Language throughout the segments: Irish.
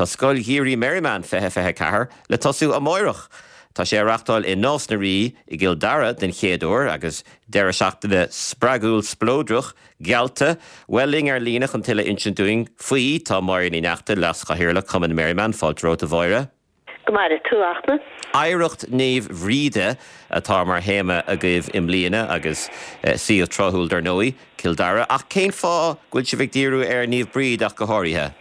Tá Scoil Gheimhridh Merriman 2024 le tosú amáireach. Tá sé á reachtáil i Nás na Rí i gCill Dara den chéad uair agus deireadh seachtaine spreagúil spleodrach geallta. Bhuel, linn ar líne chun tuilleadh a insint dúinn faoi tá Máire Ní Neachtain, Leas-Chathaoirleach Cumann Merriman. Fáilte romhat a Mháire. Go maire tú, a Fhachtna. Oidhreacht Naomh Bhríde atá mar théama agaibh i mbliana agus suíomh tráthúil dar ndóigh, Cill Dara. Ach cén fáth go bhfuil sibh ag díriú ar Naomh Bríd ach go háirithe?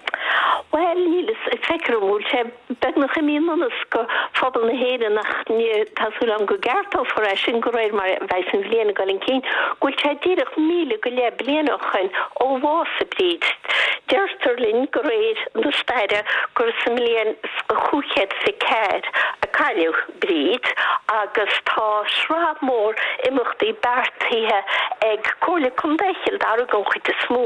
Bhuel, níl a fhios, feictear dom go bhfuil sé beagnach imithe i ndonas go phobal na hÉireann ach ní, tá súil agam go gceartófar é sin de réir mar a bheas an bhliain ag dul chun cinn, go bhfuil sé díreach 1000 bliain ó shoin ó bhásaigh Bríd. Deirtear linn de réir na staire gur sa mbliain 524 a cailleadh Bríd agus tá sraith mhór imeachtaí beartaithe ag Comhairle Contae Chill Dara den chuid is mó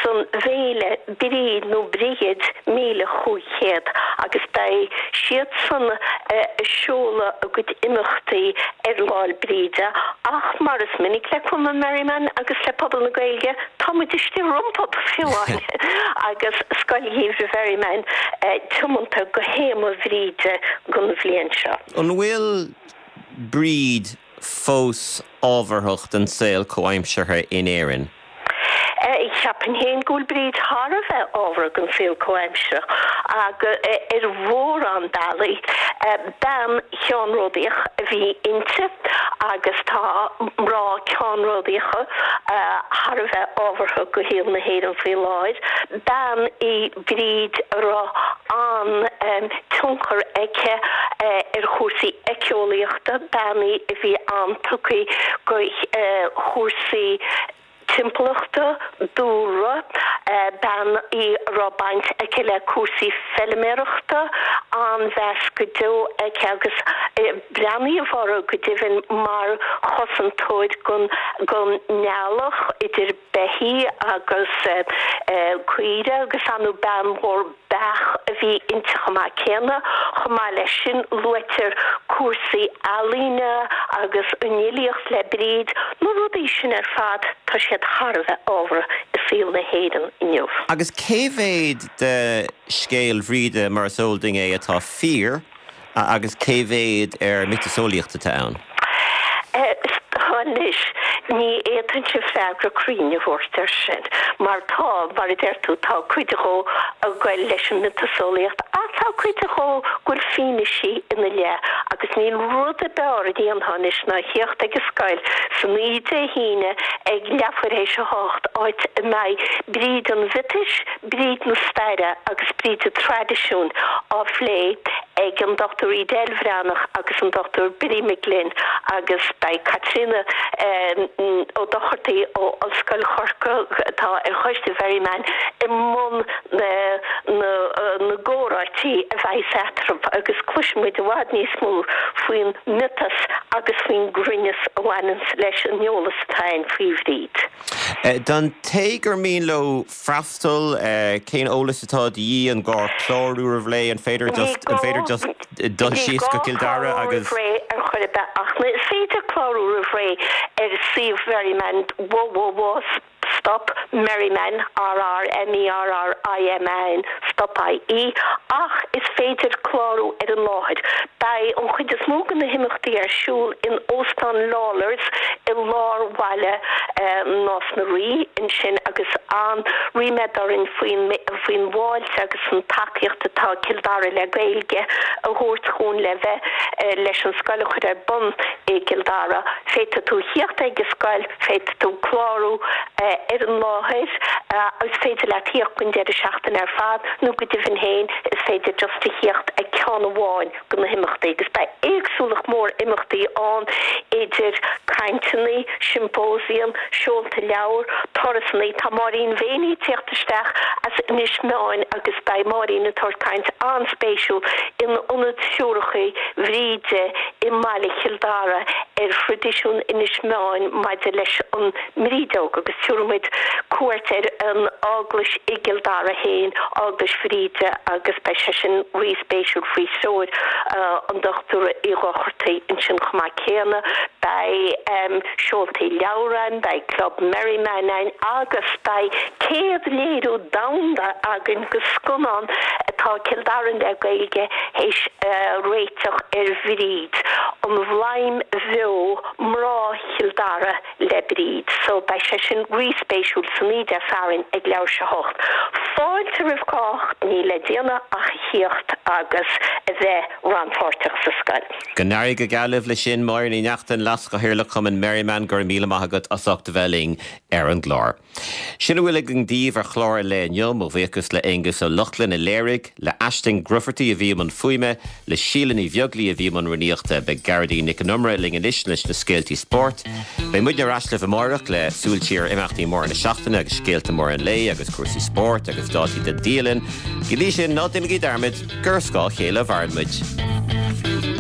san bhféile Bríd nó Brighid 1500 agus beidh siadsan ag seoladh a gcuid imeachtaí ar Lá 'le Bríde ach mar is minic le Cumann Merriman agus le pobal na Gaeilge tá muid istigh rompu fiú amháin agus Scoil Gheimhridh Mherriman tiomanta go théama Bhríde don bhliain seo. An bhfuil Bríd fós ábharthach don saol comhaimseartha in Éirinn? Cheapfainn féin go bhfuil Bríd thar a bheith ábhartha don saol comhaimseartha agus ar mhórán bealaí. Bean cheannródaíoch a bhí inti agus tá mná ceannródaíocha thar a bheith ábhartha go shaol na hÉireann faoi láthair. Bean í Bríd a raibh an-tionchar aici ar chúrsaí éiceolaíochta, bean í a bhí an-tugtha go chúrsaí timpeallachta, dúlra, bean í a raibh baint aici le cúrsaí feiliméarachta, an-mheas go deo aici agus breathnaíodh uirthi go deimhin mar chosantóir don eallach idir beithígh agus caoire agus ar ndóigh bean mhór beach a bhí inti chomh maith céanna. Chomh maith leis sin luaitear cúrsaí ealaíne agus an fhilíocht le Bríd. Na rudaí sin ar fad tá siad thar a bheith ábhartha i saol na hÉireann inniu. Agus cé mhéad de scéal Bhríde mar is eol dúinn é atá fíor? Agus cé mhéad ar miotaseolaíocht atá ann? Anois, ní fhéadfainnse freagra cruinn a thabhairt air sin, mar tá, mar a deir tú, tá cuid dhó ag goil leis an miotaseolaíocht ach tá cuid dhó go bhfuil fianaisí ina leith agus níl rud ab fhearr a dhéanfá anois ná theacht ag an scoil san oíche Dé hAoine ag leathuair théis a hocht, áit a mbeidh Bríd an Mhiotais, Bríd na staire agus Bríd an traidisiúin á phlé ag an Dr Edel Bhreathnach agus an Dr Billy McGlynn agus beidh Caitríona Ó Dochartaigh ó Ollscoil Chorcaí, atá ar choiste Mherriman, i mbun na gcomhráití a bheidh eatarthu agus cloisfidh muid i bhfad níos mó faoin miotas agus faoin gcruinneas a bhaineanns leis an eolas atá ann faoi Bhríd. Don té gur mian leo freastal, cén eolas atá de dhíth? An gá clárú roimh ré? An féidir just, an féidir just dul síos go Cill Dara agus. Ní gá clárú roimh ré ar chor ar bith ach is féidir clárú roimh ré ar suíomh Mherriman www stop merriman r r m e r r i m a n stop ie ach is féidir clárú ar an láthair. Beidh an chuid is mó de na himeachtaí ar siúl in Óstán Lawlor's i lár bhaile Nás na Rí ansin agus an-ríméad orainn faoin faoin bhfáilte agus an tacaíocht atá Cill Dara le Gaeilge a thabhairt dhúinn le bheith leis an scoil a chur ar bun i gCill Dara. Féadfaidh tú theacht ag an scoil, féadfaidh tú clárú ar an láthair is féidir leat theacht don deireadh seachtaine ar fad nó go deimhin féin is féidir just a theacht ag ceann amháin de na himeachtaí agus beidh éagsúlacht mór imeachtaí ann idir cainteanna, siompósiam, seolta leabhar, turasanna. Tá Máirín Mhéiní ag tíocht isteach as Inis Meáin agus beidh Máirín ag tabhairt caint an-spéisiúil in Ionad Siúracha Bhríde i mbaile Chill Dara. Ar thraidisiún Inis Meáin maidir leis an mBrídeog agus tabharfaidh muid cuairt ar an Eaglais i gCill Dara féin, Eaglais Bhríde agus beidh sé sin rí-spéisiúil faoi threoir an Dochtúra Uí Dhochartaigh ansin chomh maith céanna. Beidh seoltaí leabhar ann, beidh Club Merriman ann agus beidh céad léiriú domhanda againn de scannán atá Cill Dara le Gaeilge théis a réiteach ar Bhríd. An Bhladhm Bheo, Mná Chill Dara le Bríd. So beidh sé sin rí-spéisiúil san oíche Dé Sathairn ag leathuair tar éis a hocht. Fáilte roimh chách, níl le déanamh ach a thíocht agus a bheith rannpháirteach sa scoil. Go n-éirí go geal libh leis sin. Máire Ní Neachtain, Leas-Chathaoirleach Chumann Merriman, go raibh míle maith agat as ucht a bheith linn ar an gclár. Sin a bhfuil againn daoibh ar chlár an lae inniu. Mo bhuíochas le Aonghus Ó Lochlainn a léirigh, le Aisling Grufferty a bhí i mbun fuaime, le Síle Ní Bheaglaoi a bhí i mbun rúnaíochta. Beidh Gearóidín Nic an Iomaire linn anois leis na scéaltaí spóirt. Beidh muidne ar ais libh amáireach le súil siar ar imeachtaí móra na seachtaine agus scéalta móra an lae agus cúrsaí spóirt agus dátaí don dialann. Go dtí sin, ná déanaigí dearmad gur ar scáth a chéile a mhaireann muid.